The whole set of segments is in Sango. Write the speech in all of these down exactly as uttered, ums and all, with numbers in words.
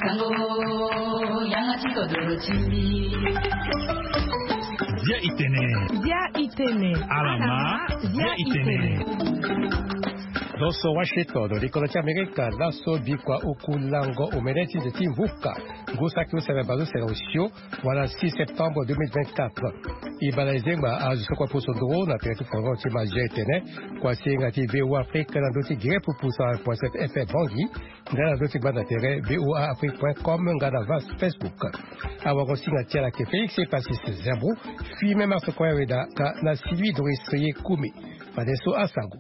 Bia itene. Bia itene. Alama. Bia itene. Lo so Washington, likolo ti Amerika, laso bikua oku lango omene ti nze ti mvuka, ngu saki use na baleuse na osio, wala six septembre deux mille vingt-quatre. E bale zengba azo so kue poso nduru na tere ti foro ti Mazia e tene, kua si hinga ti V O A Afrique na ndö ti gere pupu sara kua F M Bangui, nga na ndö ti gbanda tere V O A Afrique point com nga na va Facebook. Awago-singa ti ala ayeke Félix Epasis Zerbo, Fimem Marc Koya Weda nga na Sylvie Doris Ye Kumi. Fadeso asango.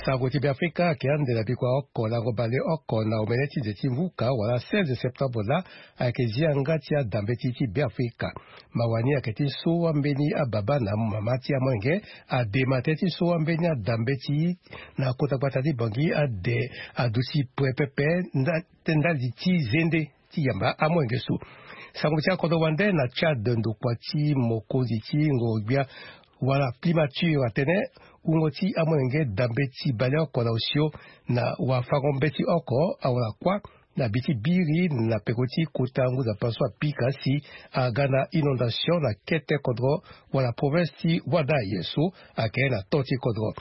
Sango ti Beafrika ayeke ande na bikua oko lango baleoko na omene ti nze ti mvuka wala seize septembre laa, ayeke zi yanga ti adambeti ti Beafrika. Mawa ni ayeke ti so ambeni ababa na mama ti amolenge adema tënë ti so ambeni adambeti na kota gbata ti Bangui ade aduti pre pepe nda, ndali ti zende ti yamba amolenge so. Sango ti akodro wande na Tchad, ndokua ti mokonzi ti ngoro-gbia wala primature atene wungo ti amolenge dambeti baleoko na osio na wafango mbeti oko awara kuâ na bi ti biri na peko ti kota ngu nzapa so apika si aga na inondation na kete kodro wala province ti Ouaddaï so ayeke na to ti kodro.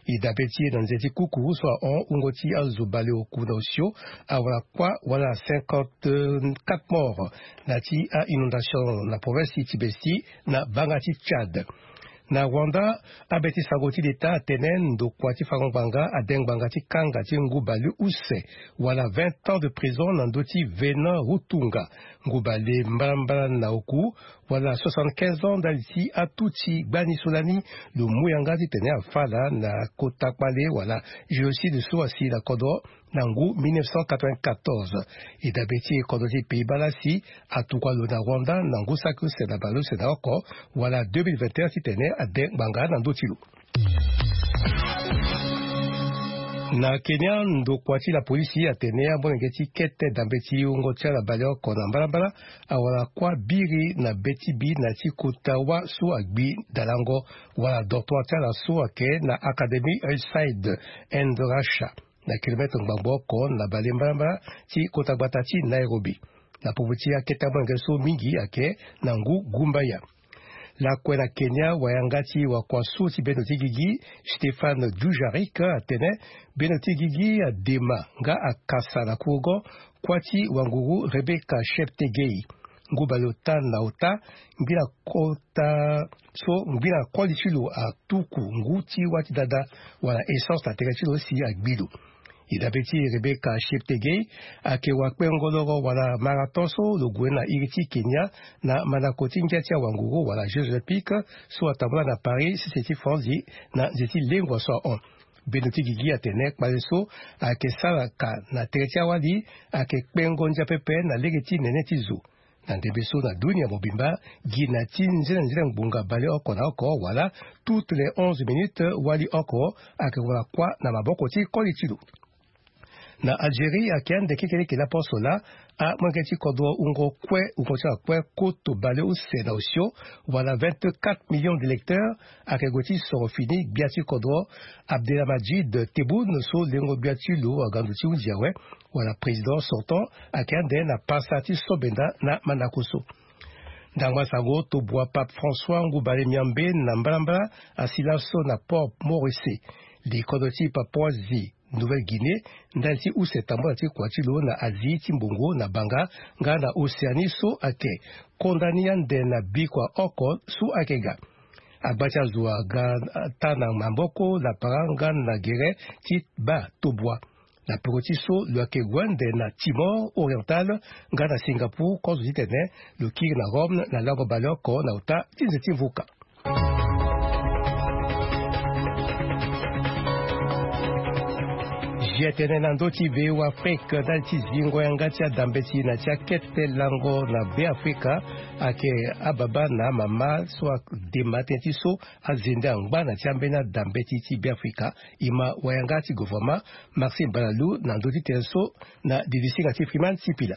E dabe ti e na nze ti kuku so ahon wungo ti azo baleoku na osio awara kuâ wala cinquante-quatre morts na ti a-inondation na province ti Tibesti na banga ti Tchad. Na Rwanda, abe ti sango ti leta atene ndokua ti fango ngbanga ade ngbanga ti kanga ti ngu baleuse wala vingt ans de prison na ndö ti Venant Rutunga, ngu bale mbalambala na oku, wala soixante-quinze ans ndali ti atu ti gbani so lani lo mu yanga titene afa ala na kota kpale wala génocide so asi na kodro na ngu mille neuf cent quatre-vingt-quatorze. E dabe ti e kodro ti Pays-Bas laa si atukua lo na Rwanda na ngu saki use na baleuse na oko wala deux mille vingt et un titene ade ngbanga na ndö ti lo. Na Kenya, ndokua ti lapolisi atene amolenge ti kete dambeti wungo ti ala baleoko na mbalambala awara kuâ biri na be ti bi na ti kota wâ so agbi dalango wala dortoir ti ala so ayeke na Academy Hillside Endarasha, na kilometre ngbangbo oko na bale mbalambala ti kota gbata ti Nairobi. Na popo ti akete amolenge so mingi ayeke na ngu gumbaya. Lakue na Kenya, wayanga ti wakua so ti bendo ti gigi, Stéphane Dujarric, atene bendo ti gigi adema nga akasa na kurugo kuâ ti wanguru Rebecca Cheptegei. Ngu baleota na ota ngbila kota so ngbila koli ti lo atuku ngu ti wâ ti dada wala essence na tere ti lo si agbi lo. E dabe ti Rebecca Cheptegei ayeke wakpengo loro wala marathon so lo gue na iri ti Kenya na mandako ti ngia ti awanguru wala Jeux Olympiques so atambula na Paris sese ti France na nze ti lengua so ahon. Bendo ti gigi atene kpale so ayeke sara ka na tere ti awali ayeke kpengo ndia pepe na lege ti nene ti zo. Na ndembe so na dunia mobimba, gi na ti nzenenzene ngbonga baleoko na oko wala toutes les onze minutes wali oko ayeke wara kuâ na maboko ti koli ti lo. Na Algérie, ayeke ande kekereke laposo laa amolenge ti kodro wungo kue wungo ti ala kue koto baleuse na osio wala vingt-quatre millions d'électeurs ayeke gue ti soro fini gbia ti kodro Abdelmadjid Tebboune so lengo gbia ti lo aga ndo ti hunzi awe wala président sortant ayeke ande na pasa ti so benda na mandako so. Ndangba sango, tobua Pape François ngu bale miambe na mbalambala asi laso na Port Maurice. Li kodro ti Papouasie Nouvelle-Guinée ndali ti use tambula ti kua ti lo na Asie ti mbongo na banga nga na Océanie so ayeke konda ni ande na bikua oko so ayeke ga. Agba ti azo aga ata na maboko na para nga na gere ti baa tobua. Na peko ti so lo yeke gue ande na Timor Oriental nga na Singapour kozo titene lo kiri na Rome na lango baleoko na ota ti nze ti mvuka. Zia tënë na ndö ti V O A Afrique ndali ti zingo yanga ti adambeti na ti akete lango na Beafrika ayeke ababa na amama so adema tënë ti so azende angba na ti ambeni adambeti ti Beafrika. E ma wayanga ti gouvernement Maxime Balalou na ndö ti tënë so na dilisinga ti Freeman Sipila.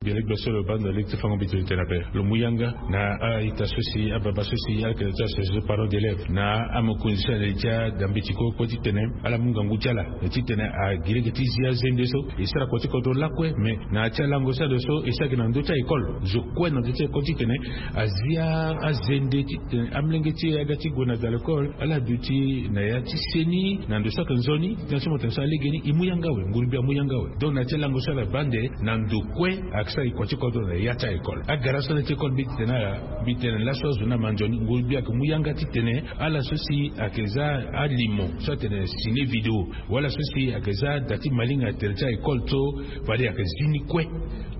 Gbia lege gbia so lo baa ndo lege ti fango mbeti lo tene ape, lo mu yanga na a-ita so si ababa so si ala yeke na ti association parents d'élèves na amokonzi so ala li ti adambeti kue kue titene ala mu ngangu ti ala titene agi lege ti zi azende so e sara kua ti kodro lakue. Mais na ya ti alango so ado so e sara gi na ndö ti a-école zo kue na ndö ti a-école titene azi azende titene amolenge ti e aga ti gue na da l'école ala duti na ya ti seni na ndo so ayeke nzoni. Titene so mo tene so alegeni e mu yanga awe, nguru gbia amu yanga awe. Donc na ya ti alango so ala baa nde na ndo kue ayeke sara gi kua ti kodro na ya ti a-école. Agara so na ya ti école mbi titene ala mbi tene laso azo ni ama nzoni, nguru gbia ayeke mu yanga titene ala so si ayeke za alimo so atene ciné vidéo wala so si ayeke za da ti malinga tere ti a-école so fade ayeke zi ni kue.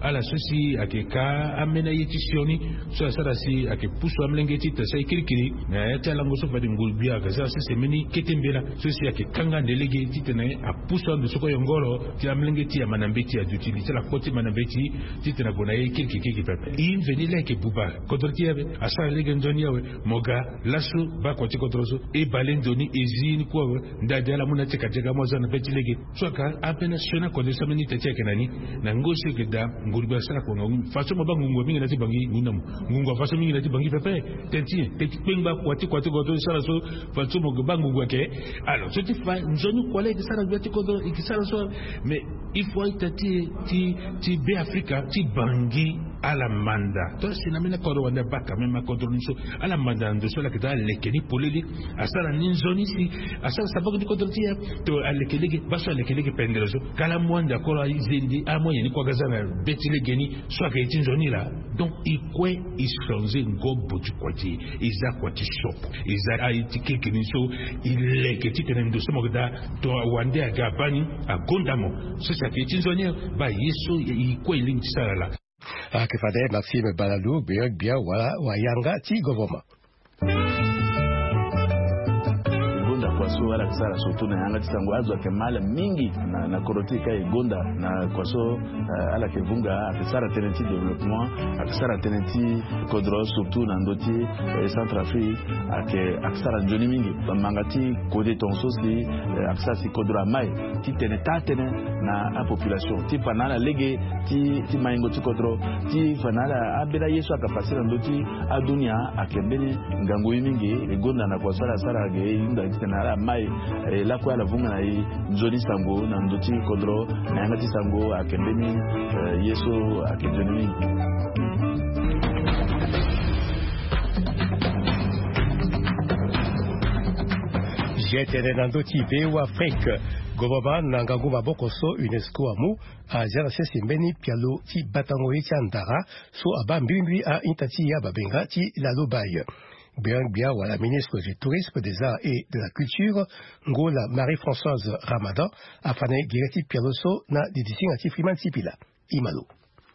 Ala so si ayeke ka ambeni aye ti sioni so asara si ayeke pusu amolenge ti tene so aye kirikiri na ya ti alango so fade nguru gbia ayeke za so si mbeni kete mbela so si ayeke kanga nde lege titene apusu ando so kue yongoro ti amolenge ti e ama na mbeti aduti li ti ala kpo ti ma na mbeti titene ague na ye kirikiri kirikiri pepe. E mveni laa ayeke buba kodro ti e ape. Asara lege nzoni awe. Mo ga laso baa kua ti kodro so e bale ndo ni e zi ni kue awe. Ndade ala mu na ti e ka diaga amu aza na be ti lege. So aka ambeni asioni akode so ambeni ita ti e ayeke na ni. Na ngoi so e yeke daa nguru gbia asara kua ngangu façon mo baa ngungu mingi na ti bangi ngu na mo. Ngungu afaçon mingi na ti bangi pepe. Tene ti nyen? Tene ti kpengba kua ti kua ti kodro e sara so. Façon mo yeke baa ngungu ayeke. Alors so ti fa nzoni kua laa e yeke sara gbia ti kodro e yeke sara so. Mais il faut a-ita ti e ti ti be afrika ti bangi ala manda. To si na mbeni akodro wande abaa quand même akodro ni so ala manda na ndo so ala yeke daa aleke ni polele. Asara ni nzoni si asara sabaki ti kodro ti e. To aleke lege baa so aleke lege pendere so kala amu ande akoro aze nde amoyen ni kue aga za na be ti legeni. So ayeke ye ti nzoni laa. Donc e kue e changer ngobo ti kua ti e. E za kua ti sopo. E za aye ti keke ni so e leke titene ndo so mo yeke daa. To wande aga abaa ni agonda mo. So si ayeke ye ti nzoni baa ye so e kue e lingbi ti sara laa. Ayeke fade Maxime Balalou gbia gbia wala wayanga ti govoman. Gonda kua so ala yeke sara surtout na yanga ti sango azo ayeke mal mingi na kodro ti e ka e gonda na kua so. Ala yeke vunga ayeke sara tënë ti développement. Ayeke sara tënë ti kodro surtout na ndö ti centre afrique. Ayeke ayeke sara nzoni mingi. Manga ti kode tonga so si ayeke sara si kodro amai titene taa tënë na apopulation ti fa na ala lege ti ti maingo ti kodro ti fa na ala ambeni aye so ayeke fasi na ndö ti adunia. Ayeke mbeni ngangu ye mingi. E gonda na kua so ala sara ge e hunda titene ala mai e lakue ala vunga na e nzoni sango na ndö ti kodro. Na yanga ti sango ayeke mbeni ye so ayeke nzoni mingi. Ge tene na ndö ti be wa afrique. Govoman na ngangu maboko so unesco amu azia na sese mbeni pialo ti batango ye ti andara so abaa mbimbiri a-ita ti e ababenga ti lalo baye. Gbia gbia wala ministre du tourisme des arts et de la culture, ngola marie françoise ramadan, afa na e gere ti pialo so na didisinga ti friman ti pila. Imalo.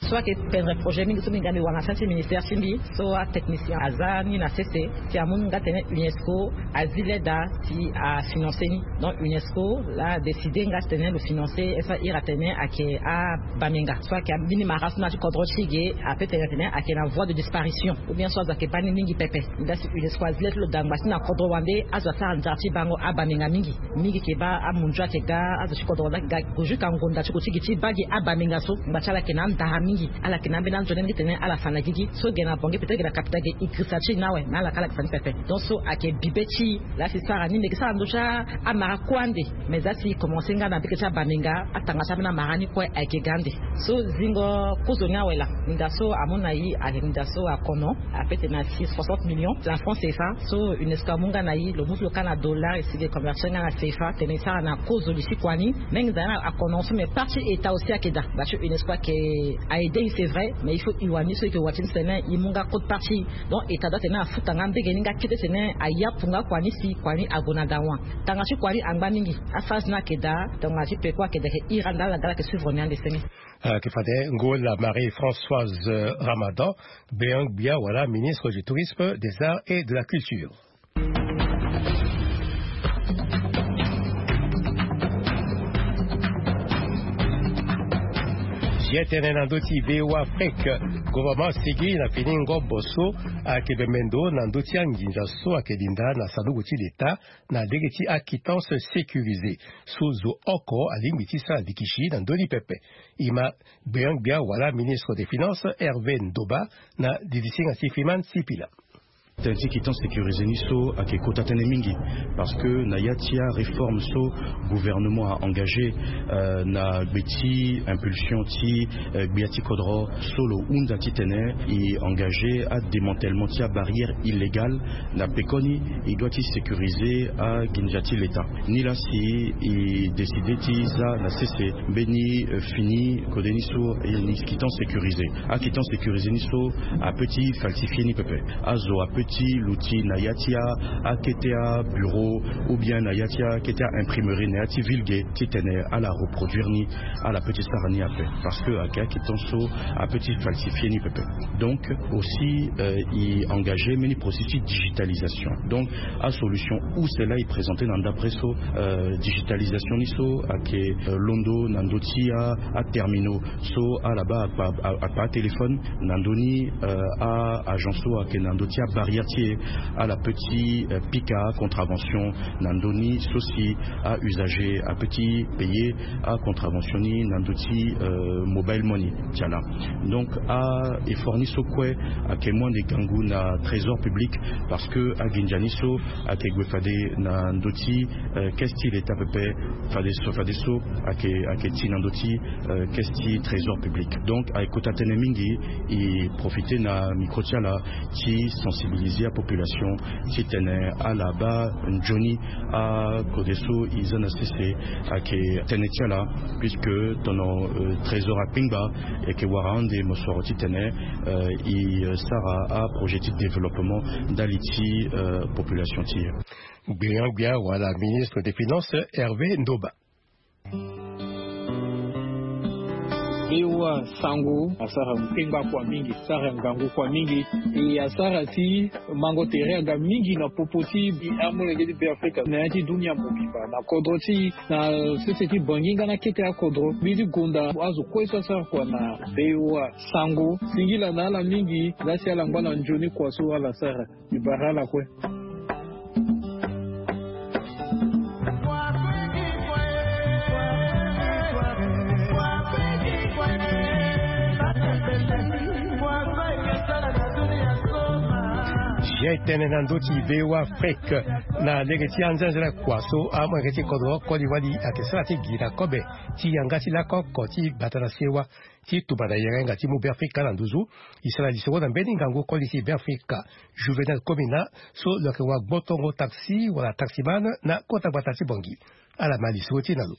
So ayeke pendre projet mingi so mbi ga mbi wara na sasi ministère ti mbi so atechnicien aza ni na sese ti amu nga tene unesco azi leda ti afinance ni. Donc unesco la adécide nga tene lo finance e so ahiri atene ayeke abamenga so ayeke ambini mara so na ya ti kodro ti ge ape tene atene ayeke na voie de disparition. Ou bien so azo ayeke baa ni mingi pepe. Nda si unesco azi leda ti lo dangba si na kodro wande azo asara nzara ti bango abamenga mingi. Mingi ke baa amunzu ayeke ga azo ti kodro wande ayeke ga. Go jusque angonda ti go ti gi ti baa gi abamenga so ngba ti ala ayeke na andara mingi. Ala yeke na ambeni anzoni mingi tene ala fa na gigi so ge na bongi peut-être ge na kapita ge e girisa ti e ni awe. Mais ala ka ala yeke fa ni pepe. Donc so ayeke bibe ti e. Laa si sara ni mbi yeke sara ndö ti amara kue ande. Mais za si e commence nga na bike ti abamenga atanga ti ambeni amara ni kue ayeke ga ande. So zingo kozo ni awe laa. Nda so amu na e ayeke nda so akono. Ape tene asi soixante millions na france cfa. So unesco amu nga na e lo mu ti lo ka na dollar e si ge convertir nga na cfa tene e sara na kozo li ti kua ni. Menge za ni akono so mais partie état aussi ayeke daa. Ba ti unesco ayeke a aide e c'est vrai mais il faut e wani so e yeke wati ni tene e mu nga code partie. Donc état doit tene afuta nga mbege ni nga kete tene ayapu nga kua ni si kua ni ague na dawa. Tanga ti kua ni angba mingi. Aphase ni ayeke daa. Tongana ti peko ayeke daa ayeke iri ande ala ga ala yeke suivre ni ande senge. Ayeke fade ngola marie françoise ramadan, bean gbia wala ministre du tourisme, des arts et de la culture. Ye tene na ndö ti V O A Afrique, gouvernement asigi na fini ngobo so ayeke bembe ndo na ndö ti anginza so ayeke linda na sanduku ti leta na lege ti aquittance sécurisée so zo oko alingbi ti sara likisi na ndö ni pepe. E ma gbeangbia wala ministre des finances Hervé Ndoba na didisinga ti Fiman Sipila. Tënë ti quittance sécurisée ni so ayeke kota tënë mingi, parce que na ya ti aréforme so gouvernement a engagé, euh, na gbe ti impulsion ti, euh, gbia ti kodro so lo hunda titene e engagé adémantèlement ti abarrière illégale na pekoni e doit ti sécuriser aginza ti leta. Nilaa si e décidé ti za na sese mbeni, euh, fini kode ni so, e ni quittance sécurisée. Aquittance sécurisée ni so apeut ti falsifier ni pepe. Azo apeut ti luti na ya ti a, akete abureau, ou bien na ya ti akete a-imprimerie na ya ti ville ge titene ala reproduire ni, ala peut ti sara ni ape. Parce que ayeke aquittance so apeut ti falsifier ni pepe. Donc aussi, euh, e engagé mbeni processus ti digitalisation. Donc asolution use laa e présenté na ndapre so, euh, digitalisation ni so ayeke, euh, londo na ndö ti a, aterminaux so ala baa akpa, a- akpa atéléphone na ndö ni, euh, a-agent so ayeke na ndö ti abarrière ti e, ala peut ti, euh, pika acontravention na ndö ni so si a-usager apeut ti payer acontravention ni na ndö ti, euh, mobile money ti ala. Donc a-effort ni so kue ayeke mu ande gangu na trésor public, parce que aginza ni so ayeke gue fade na ndö ti, euh, caisse ti leta pepe, fade so, fade so ayeke, ayeke ti na ndö ti, euh, caisse ti trésor public. Donc ayeke kota tënë mingi. E profité na micro ti ala ti sensibiliser apopulation titene ala baa nzoni akode so e za na sese. Ayeke tënë ti ala, puisque tono, euh, trésor akpengba, e yeke wara ande mosoro titene, euh, e, euh, sara aprojet ti développement ndali ti, euh, population ti e. Gbeangbia wala ministre des finances Hervé Ndoba. V O A Sango asara kpengba kua mingi, asara ngangu kua mingi. E asara si mango tere aga mingi na popo ti amolenge ti Beafrika na ya ti dunia mobimba, na kodro ti e, na sese ti Bangui nga na kete akodro. Mbi ti gonda azo kue so asara kua na V O A Sango, singila na ala mingi, laa si ala ngba na nzoni kua so ala sara. Mbi bara ala kue. Zia e tene na ndö ti V O A Afrique, na lege ti anzenzele kua so amolenge ti kodro Côte d'Ivoire ayeke sara ti gi na kobe ti yanga ti lako oko ti bata na sewa ti tuba na yenga yenga ti mu Beafrika na nduzu. E sara lisoro na mbeni ngangu koli ti Beafrika, Juvenal Komina, so lo yeke wa gbotongo taxi wala taximan na kota gbata ti Bangui. Ala ma lisoro ti e na lo.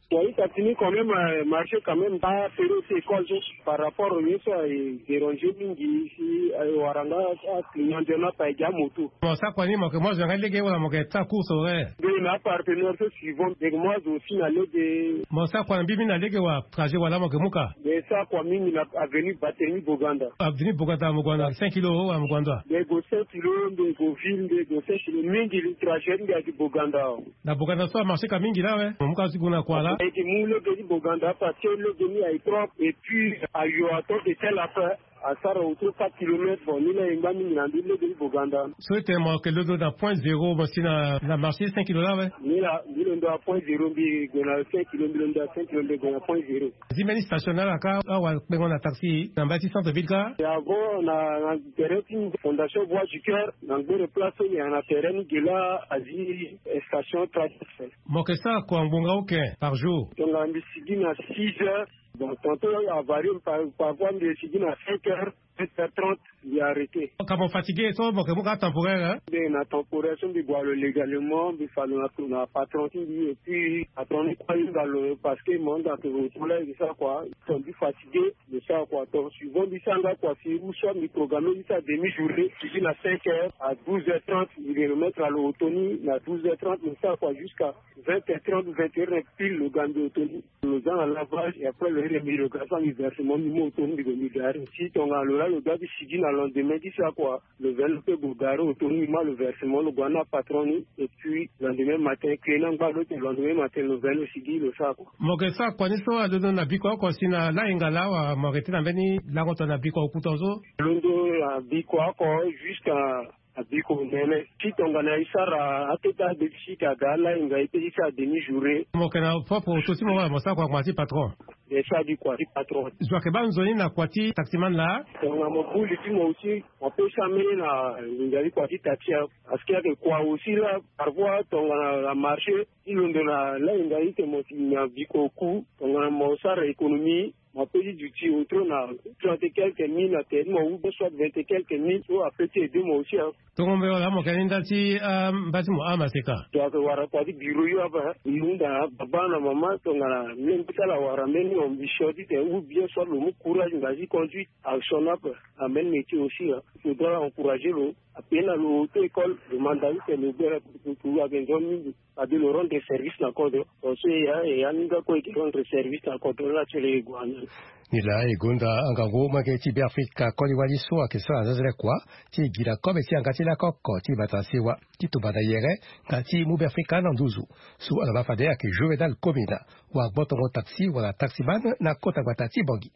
Wa, e ka fini quand même, euh, marché quand même, ba période ti école so par rapport au nyen so aye déranger mingi si aye wara nga aclignon de na pa e gi amoto. Mo sara kua ni, mo yeke mu azo na nga lege wala mo yeke sara course horaire? Nde na apartenaire so suivant, mbi yeke mu azo aussi na lege. Mo sara kua na mbi mingi na lege wa trajet wala mo yeke mu ka? Mbi sara kua mingi na avenue Barthélemy Boganda. Avenue Boganda mo gue na cinq kilo wala mo gue na ndo? Mbi gue cinq kilo, mbi gue ville, mbi gue cinq kilo mingi, trajet mbi ayeke Boganda. Na Boganda so amarché ka mingi laa awe. Mo mu ka ti gue na kua laa? Ayeke mu lege ti Boganda parce que lege ni aye propre et puis ayo ato de tel affaire. Asara autour quatre kilomètres. Bon, ni laa e ngba mingi na ndö ti lege ti Boganda. So e tene mo yeke londo na point zéro, mo si na, na marché cinq kilo laa awe? Ni laa, mbi londo na point zéro, mbi gue na cinq kilo, mbi londo na cinq kilo, mbi gue na point zéro. Zi mbeni station na ala ka, awa kpengo na taxi na mbage ti centre ville ka? E avant na, na terrain ti Fondation Voix du Cœur, na ngbere place so e yeke na terrain ni ge laa azi station traverse. Mo yeke sara kua ngbonga oke par jour? Tongana mbi sigi na six heures. Bon, tantôt avarie par, parfois mbi sigi na cinq heures, sept heures trente, mbi arrêté. Ka mo fatigué so mo yeke mu ka temporaire, hein? Mbi na temporaire so mbi gue na lo légalement, mbi fa lo na, na patron ti mbi, et puis patron ni kue ahinga lo parce que mo hinga tongana lo to laa e sara kua, so mbi fatigué. Mbi sara kua, to suivant mbi sara nga kua si ou soit mbi programme mbi sara demi journée, mbi sigi na cinq heures à douze heures trente, mbi remettre na lo oto ni na douze heures trente, mbi sara kua jusqu'à vingt heures trente, vingt heures pile, lo ga mbi oto ni, lo za na lavage, et après lo iri mbi, lo ga sara mbi versement, mbi mu oto ni, mbi gue mbi gare. Si tongana lo laa lo doit ti sigi na Lendemain ti sa kua, lo veni lo pe go gare auto ni, ma lo versement lo gue na apatron ni. Et puis lendemain matin kue na ngba lo te, lendemain matin lo veni lo sigi lo sa kua. Mo yeke sa kua ni so alondo na biko oko si na lahinga laa wala mo yeke tene na mbeni lango tongana biko oku tongaso? Londo na biko oko, juste na biko nene ti tongana e sara akete adéficit aga alahinga e pe ti sara demi journée. Mo yeke na propre auto ti mo wala mo sara kua na kua ti patron? E sara di kua ti patron. Zo ayeke baa nzoni na kua ti taximan laa? Tongana mo buli ti mo aussi, mo pe sara mbeni na nginza ti kua ti taxi. Parce que ayeke kua aussi laa, parfois tongana na marché ti londo na lahinga ite mo si na biko oku, tongana mo sara économie, mo pe ti duti auto na trente et quelques mille na tere ti mo, ou soit vingt et quelques mille, so ape ti aider mo aussi, hein. Tongo mbela mo yeke ni ndali ti, ah, mba ti mo amaseka. Donc wara kua ti bureau yo ape, hein. Lo hunda na baba na mama tongana mbi sala wara mbeni ambition titene ou bien soit lo mu courage na nginza ti conduite, action ape. Na mbeni métier aussi, hein. Faudra encourager lo. Ape na lo auto école, lo manda titene lo gbere, lo ayeke nzoni mingi. Fade lo rendre service na kodro. Parce que e ya, e ya ni nga kue e yeke rendre service na kodro ni laa ti lo e gue na ni. Ni laa e gonda angangu molenge ti Beafrika koli wali so ayeke sara na zazele kua ti gi na kobe ti yanga ti lakoko ti bata sewa ti tumba na yere nga ti mu Beafrika na nduzu. So ala baa fade ayeke Juvenal Komina, wagbotongo taxi wala taximan na kota gbata ti Bangui.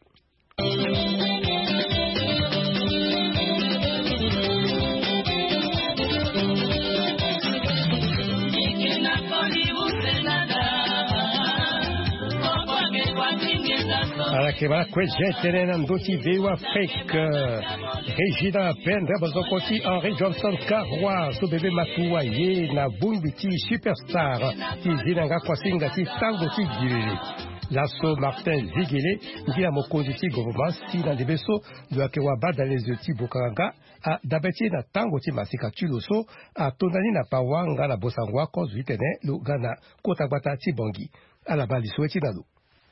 Ala yeke baa kue je tënë na ndö ti V O A Afrique. Régina Pendre, bozoko ti Henri Johnson Karwa so bebe Matuwa ye na bongbi ti superstar ti zi na nga kuasinga ti tango ti giriri. Laso Martin Zigele, ngia mokonzi ti gouvernement, si na ndembe so lo yeke wabadale zo ti bokanga nga, adabe ti e na tango ti masika ti lo so atonda ni na pawa nga na bosango oko zo titene lo ga na kota gbata ti Bangui. Ala baa liso ti na lo.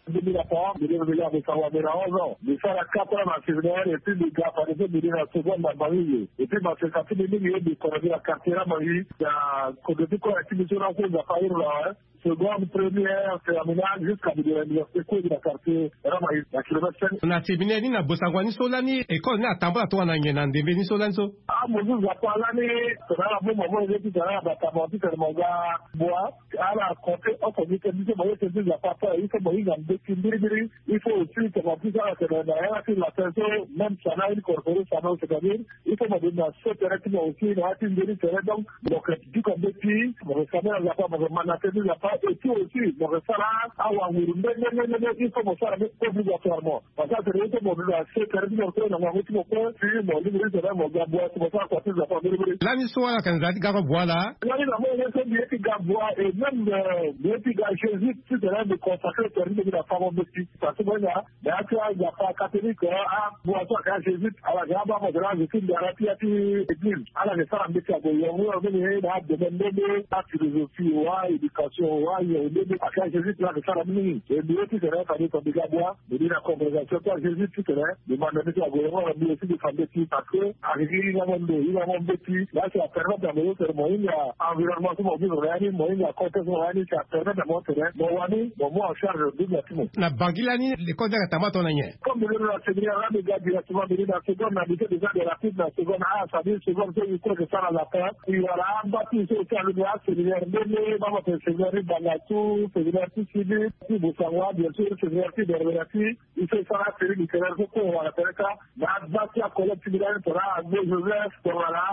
Mbi bi na pawa, mbi lingbi na bosango mbi na onze ans. Mbi sara quatre ans na séminaire, et puis mbi ga fade so mbi ni na seconde na Bangui. Et puis maseka ti mbi mingi ye mbi kono mbi na quartier na Bangui. Na kodro ti kue ti mbi so na kue Nzapa ahiri na, hein. Seconde, première, terminale, jusqu'à mbi de l'université kue mbi na quartier Ramaïs, na kilomètre cinq. Na séminaire ni na bosango ni so lani école ni atambula tongana nyen na ndembe ni so lani so? Ah, mo zu Nzapa lani, tongana mo mo mo ye ti tongana batama ti tene mo ga bua, ala compter oko ni tene biso mo ye tene ti Nzapa ape, il faut mo hinga mbeti mbirimbiri, il faut aussi tongana biso ala tene na yanga ti latin so, même ça na incorporé ça, c'est-à-dire il faut mo bima so tere ti mo aussi na ya ti nzoni tere, donc mo yeke duka mbeti, mo yeke sambela Nzapa, mo yeke ma na tënë ti Nzapa, et puis aussi mo yeke sara awanguru nde nde nde nde, il faut mo sara ni obligatoirement. Parce que atene il faut mo duka so tere ti mo kue na ngangu ti mo kue, si mo lingbi ti tene mo ga bua si mo sara kua ti Nzapa mbirimbiri. Lani so ala yeke na nzara ti ga bua laa? Lani na mo ye so mbi ye ti ga bua, et même, euh, mbi ye ti ga Jésus titene mbi consacré tere ti mbi na fango mbeti. Parce que mo ye na Mais ya ti aNzapa catholique, abua so ayeke ajésuite, ala yeke abaa mo tene azo ti ndara ti ya ti église. Ala yeke sara mbeti ague yongo yongo ni na adomaine nde nde, aphilosophie wa, aéducation wa, yongo nde nde. Ayeke ajésuite la ayeke sara mingi. E mbi ye titene fade tongana mbi ga bua, mbi ni na congrégation ti ajésuite titene mbi manda mbeti ague yongo na mbi aussi mbi fa mbeti parce que ayeke gi hinga mo ndo, hinga mo mbeti. La si apermettre na mo so tene mo hinga environnement so mo vivre na ya ni, mo hinga contexte so mo na ya ni, si apermettre na mo tene mo wani mo mu en charge double. Na Bangui lani, l'école ni ayeke tambula tongana nyen? Comme mbi londo na séminaire la, mbi ga directement, mbi ni na seconde, na lycée déjà de rapide na seconde A, c'est-à-dire seconde so mbi kue yeke sara latin. Mbi wara amba ti mbi so aussi alondo na séminaire mbeni, mama tene séminaire ti Bangassou, séminaire ti Sidi, ti Bossangoa, bien sûr, séminaire ti Berbera ti. Mbi so e sara série littéraire so kue wara tere kâ. Na bâ ti acollègue ti mbi lani tongana Agbo Joseph, tongana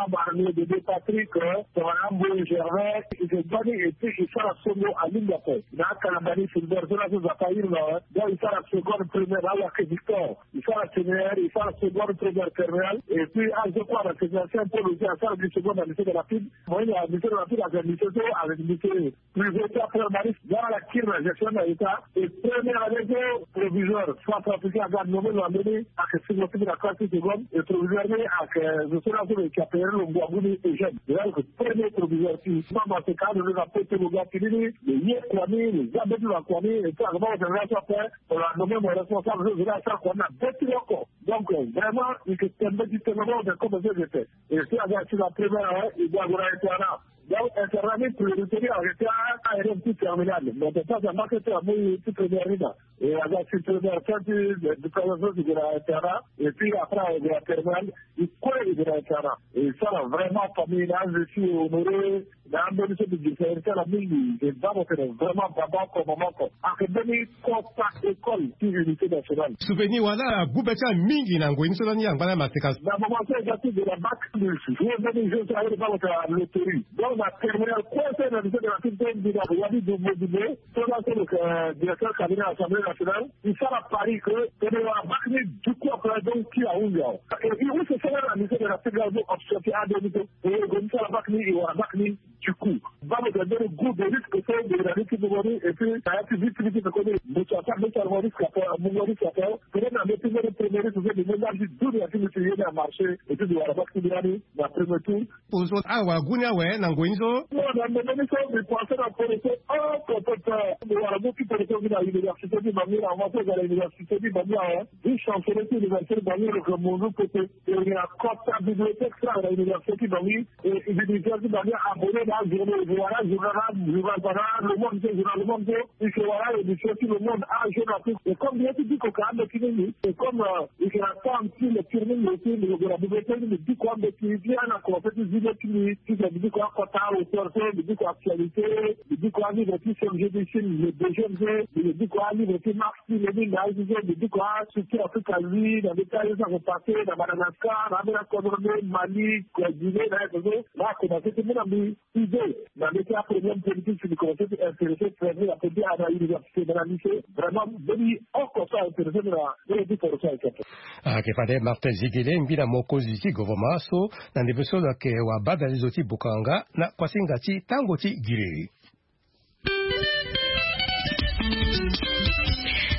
Abarnier Bébé Patrick, tongana Amboye Gervais, e yeke bâ ni et puis e sara songo alingbi ape. Na akalamba ni Fulbert so laso Nzapa ahiri na awe. Donc e sara seconde première na Wake Victor. E sara séminaire, e sara seconde première terminale. Et puis azo kue na séminaire Saint Paul aussi asara gi seconde na lycée de la Pile. Mo hinga lycée de la Pile avec lycée so avec lycée privé ti apre Maris, nga ala kiri na gestion na État. Et première année so proviseur, centrafricain aga nommé lo na mbeni, ayeke singo ti mbi na classe ti seconde. Et proviseur ni ayeke zo so laso lo yeke appeler lo ngu agu ni Eugène. Lo ayeke premier proviseur ti. Mama seka alondo na poto lo ga fini ni, lo ye kua ni, lo za mbeti na kua ni, et puis ayeke baa mo tene laso ape, lo la nommé mo responsable so zo ni asara kua ni na mbeti ni oko. Donc vraiment e yeke tene mbeti tene, baa mo tene comme so e yeke tene. Et so aga ti na première année, e ga ague na état na Donc internat ni priorité ni ayeke ti aélève ti terminale, mais ton pasa marché ti amu ti première ni na. E aza ti première fin ti éducation ti gue na internat. Et puis après ague na terminale. E kue e gue na internat. E sara vraiment famille na aze ti honoré. Na ambeni so mbi gi seri ti ala mingi. E baa mo tene vraiment baba oko mama oko ayeke mbeni kota école ti unité nationale. Souvenir wala agbu be ti ala mingi na ngoi ni so lani angba na maseka. Na moment so e ga ti gue na bac plus jour mbeni jour so aye baa mo tene na loterie. Donc na terminale kue so e na lycée de la culture mbi na wani du module. So laa so lo yeke directeur cabinet assemblée nationale. E sara pari ke tene wara bac ni du coup après donc ti ahunzi awe. E e use so laa na lycée de la culture ni option ti ade ni so. E e gue ni sara bac ni e wara bac ni. Du coup baa mo tene mbeni groupe de risque so e gue na ni ti mungo ni. Et puis na ya ti vie ti ni ti peko ni mbi ti ata mbi ti amungo risque ape. Amungo risque ape. Peut-être na mbi ti mbeni premier risque so mbi mu nda ti dunia ti mbi ti ye ni amarché. Et puis mbi wara bac ti mbi lani na premier tour. Ozo awagu ni awe na ngoi ni so. Non na ndembe ni so mbi pense na poroso oko pepe. Mbi wara mu ti poroso mbi na université ti bangi na moment so e ga na université ti bangi awe. Vice chancelier ti université ti bangi lo yeke munzu pepe. E na kota bibliothèque ti ala na université ti bangi. E université ti bangi abonné na ajournée e wara journal journal bana le monde so journal le monde so. E yeke wara émission ti le monde ajour na tout. Et comme mbi ye ti diko ka ambeti mingi. Et comme e yeke na temps ti lecture mingi aussi mbi lo gue na bibliothèque ni mbi diko ambeti ti ala na commencé ti zi le ti mbi ti gue mbi diko akota auteur so mbi diko actualité. Mbi diko alivre ti Serge Bichine le deuxième so. Mbi lo diko alivre ti Marx ti Lénine na aye so mbi diko astructure Afrique asie na mbi ti aye so ako passé na Madagascar na ambeni akodro nde Mali Guinée na aye so. Laa akomanse ti mu na mbi idée na mbi ti aproblème politique si mbi komanse ti intéressé très bien na politique na université na na lycée. Vraiment mbeni oko so aintéressé mbi na mbeni ti poro so ayeke ape. Ayeke fade Martin Zigele ngbi na mokonzi ti gouvernement so na ndembe so lo yeke wabadale zo ti bokanga na kuasinga ti tango ti giriri.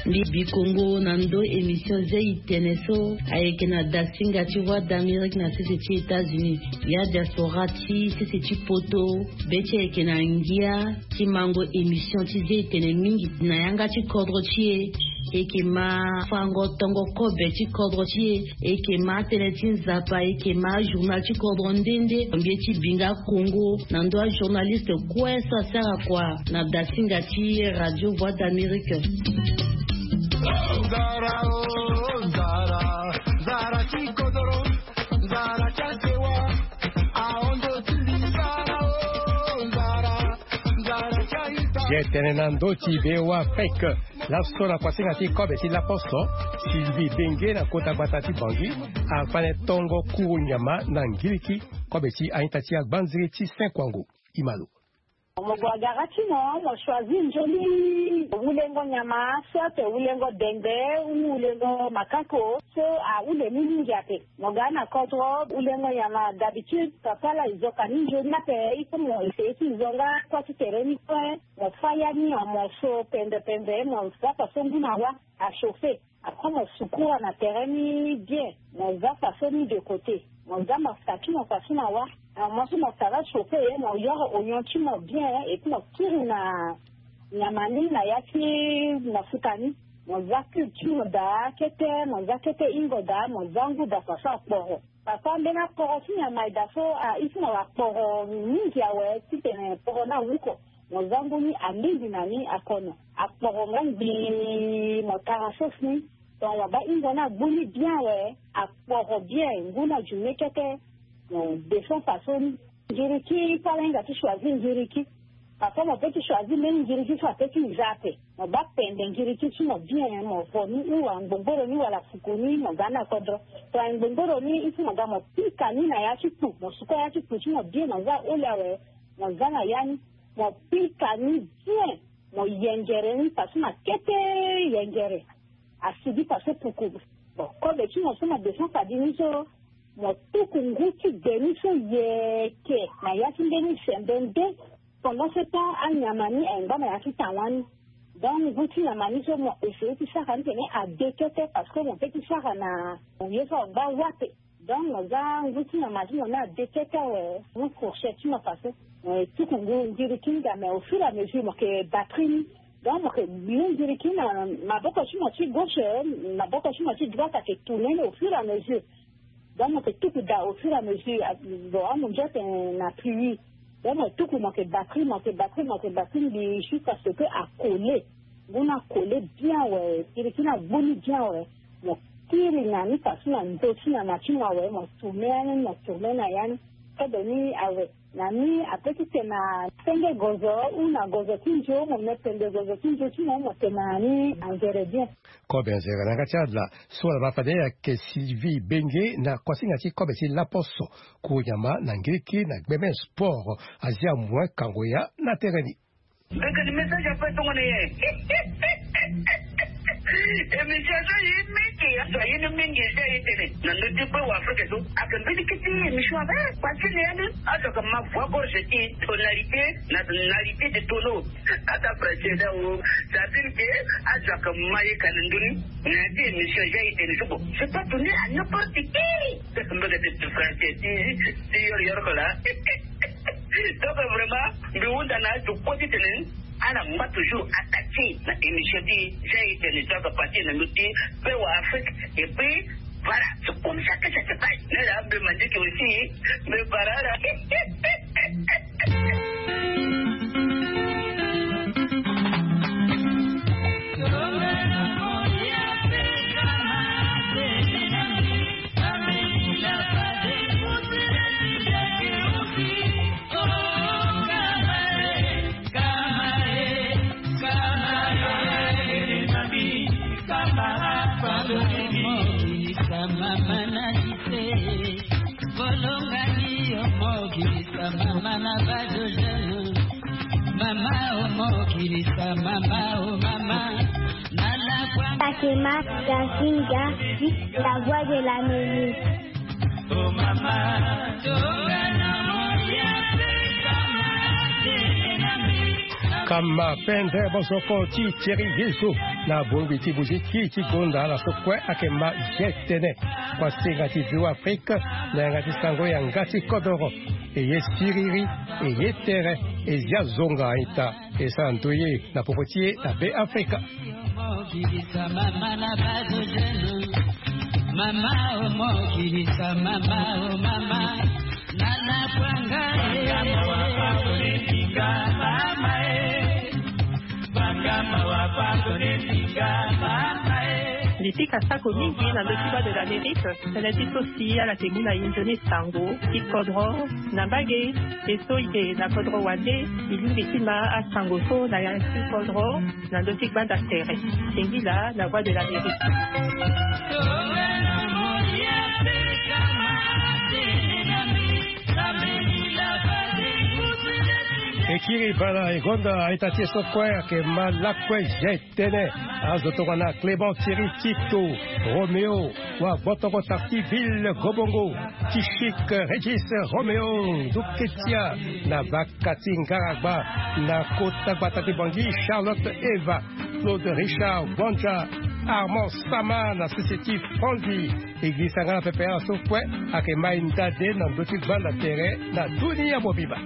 Mbi bi kongo na ndo émission zia itene so ayeke na dasinga ti Voix d'Amérique na sese ti États-Unis. Ya diaspora ti sese ti poto be ti ayeke na ngia ti mango émission ti zia itene mingi na yanga ti kodro ti e. E yeke ma fango tongo kobe ti kodro ti e. E yeke ma tënë ti nzapa e yeke ma journal ti kodro nde nde. Mbi ye ti bi nga kongo na ndo ajournaliste kue so asara kua na dasinga ti Radio Voix d'Amérique. Nzara o nzara, nzara ti kodoro, nzara ti asewa. Ahon ndo ti mbi nzara o nzara, nzara ti aita. Ye tene na ndo ti be wa fake. Laso na kuasinga ti kobe ti laposo, Sylvie Benge na kota gbata ti Bangui afane tongo kuru nyama na ngiriki kobe ti aita ti agbanziri ti Saint Kwango. Imalo. Mo gue agara ti mo, mo choisir nzoni wulengo nyama soit wulengo dende ou wulengo makako so ahule ni mingi ape. Mo ga na kodro wulengo nyama d'habitude papa la e zo ka ni nzoni ape. Il faut mo essayer ti zo nga kua ti tere ni kue. Mo fa ya ni en morceau pembe pembe, mo za faso ngu na wa a chauffer. Après mo sukura na tere ni bien, mo za faso ni de côté, mo za mafuta ti mo faso na wa. Na mo so mo sara chauffer ye mo yoro oignon ti mo bien et puis mo kiri na nyama ni na ya ti mafuta ni. Mo za cube ti mo daa kete, mo za kete hingo daa, mo za ngu daa faso akporo. Papa mbeni akporo ti nyama e daa so a isi na wa akporo mingi awe titene kporo ni awuko. Mo za ngu ni alingbi na ni akono akporo nga ngbii mo tara sauce ni. Donc mo baa hingo ni agbu ni bien awe akporo bien ngu ni ajume kete. Mo descend faso ni. Ngiriki fala hinga ti choisir ngiriki. Parfois mo peut ti choisir mbeni ngiriki so apeut ti za ape. Mo baa pende ngiriki ti mo bien mo vo ni ou angbongboro ni wala fuku ni mo ga ni na kodro. To angbongboro ni il faut mo ga mo pika ni na ya ti kpu mo suka ya ti kpu ti mo bien mo za aholi awe. Mo za na ya ni mo pika ni bien. Mo yengere ni faso na kete yengere. Asigi faso puku. Bon kobe ti mo so mo descend fadi ni so. Mo tuku ngu ti gbe ni so yeke na ya ti mbeni sembe nde. Pendant ce temps anyama ni ayeke ngba na ya ti tawa ni. Donc ngu ti nyama ni so mo essayer ti sara ni tene ade kete parce que mo peut ti sara na ye so angba wa ape. Donc mo za ngu ti nyama ti mo ni ade kete awe. Mu fourchette ti mo faso mo tuku ngu ngiriki ni ga mais au fur et à mesure mo yeke batri ni. Donc mo yeke gbi ngiriki na maboko ti mo ti gauche, maboko ti mo ti droite ayeke tourner ni au fur et à mesure. Donc mo yeke tuku daa au fur et à mesure. Bon amunzu atene na pluie. Mo tuku mo yeke batri, mo yeke batri, mo yeke batri mbi jusqu'à ce que akole. Ngu ni akole bien awe, kirikiri ni agbu ni bien awe. Mo kiri na ni façon na ndö ti nyama ti mo awe, mo tourne ya ni, mo tourne na ya ni. Kodo ni awe. Na ni ape ti tene na senge gozo ou na gozo ti nzo, mo me pende gozo ti nzo ti mo, mo tene na ni anzere bien. Kobe anzere na yanga ti ala so ala ma fade ayeke Sylvie Benge na kuasinga ti kobe ti laposo. Kuru nyama na ngiriki na gbeme sport azia moin kango ya na tere ni. Mbekani message ape tongana ye. Émission so ye mingi, azo ye ni mingi, ye tene na ndö ti pe wa Afrique so. Ake mbeni kiti émission ape, parce que ni azo ka ma voix gorge ti tonalité na tonalité de tonneau. Ata précédent o, ça veut dire que azo ka ma ye ka na ndö ni. Na ti émission ja ye tene so bon. C'est pas donné à n'importe qui. Mbekani ti français ti ti yor yor ko la. Donc vraiment, mbi hunda na azo kue ti tene ala ngba toujours attaqué na émission ti ja ye tene so aka partir na ndö ti pe wa Afrique. Et puis voilà, c'est comme ça que ça se passe. Mais là, mbi mandi que aussi, mais voilà là. Bolongani omokilisa mama na bado jeune. Mama omokilisa mama o mama. Nana kwa Takema Gazinga, la voix de l'Amérique. Kama pendre bosoko ti Thierry Yezo na bongbi ti muziki ti gonda ala so kue ake ma je tene. Kua senga ti Vieux Afrique na yanga ti sango yanga ti kodoro. E ye siriri, e ye tere, e zia zonga aita, e sara ndoye na popo ti e na Be Afrika. Mama omokilisa mama na bado jeune. Mama omokilisa mama o mama. Nana kwanga e. Mama e. Banga mawa pardonne tika mama e. Mbi pika sako mingi na ndö ti Voix de l'Amérique. Tënë ti so si ala yeke mu na e nzoni sango ti kodro na mbage. E so e yeke na kodro wande, e lingbi ti ma asango so na ya ti kodro na ndö ti gbanda tere. Singila na Voix de l'Amérique. E kiri bana e gonda aita ti e so kue ayeke ma lakue je tene. Azo tongana Clément Thierry Tito, Roméo, wa Gbotoko Tartiville Gobongo, Tichik Régis Roméo, Duketia, na Bakati Ngaragba, na kota gbata ti Bangui, Charlotte Eva, Claude Richard Gwanja, Armand Sama na sese ti Franzi. E girisa nga na pepe ala so kue ayeke ma e ndade na ndö ti gbanda tere na dunia mobimba.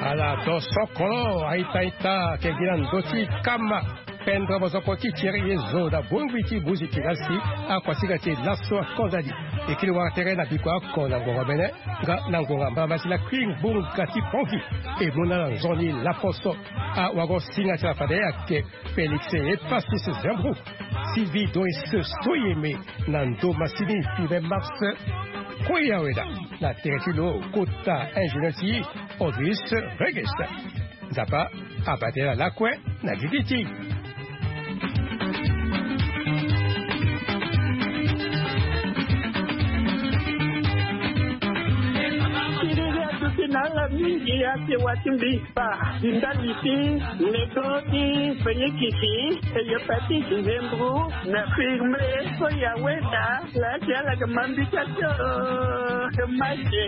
Ala to sokolo aita ita ke gi na ndö ti kama. Pendre bosoko ti Thierry Yezo na bongbi ti muziki na si akuasinga ti e laso akonda ni. E kiri wara tere na biko oko na ngonga mene nga na ngonga mbala mbala ti lakui ngbonga ti Pongi. E mu na ala nzoni laposo. Awago-singa ti ala fade ayeke Félix Epasis Zembrou, Sylvie Doris Soyeme na ndo masini premier mars. Koya weda na tere ti lo kota ingénieur ti Odris Regis. Nzapa abate na lakue na gigi ti. Ala mingi ate wa ti mbi pa ti ndali ti nego ti fenyikisi, hépatite, nzembro, na firme so ya wenda. Laa ti ala yeke ma mbi ti ate o. Te mache.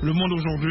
Le monde aujourd'hui.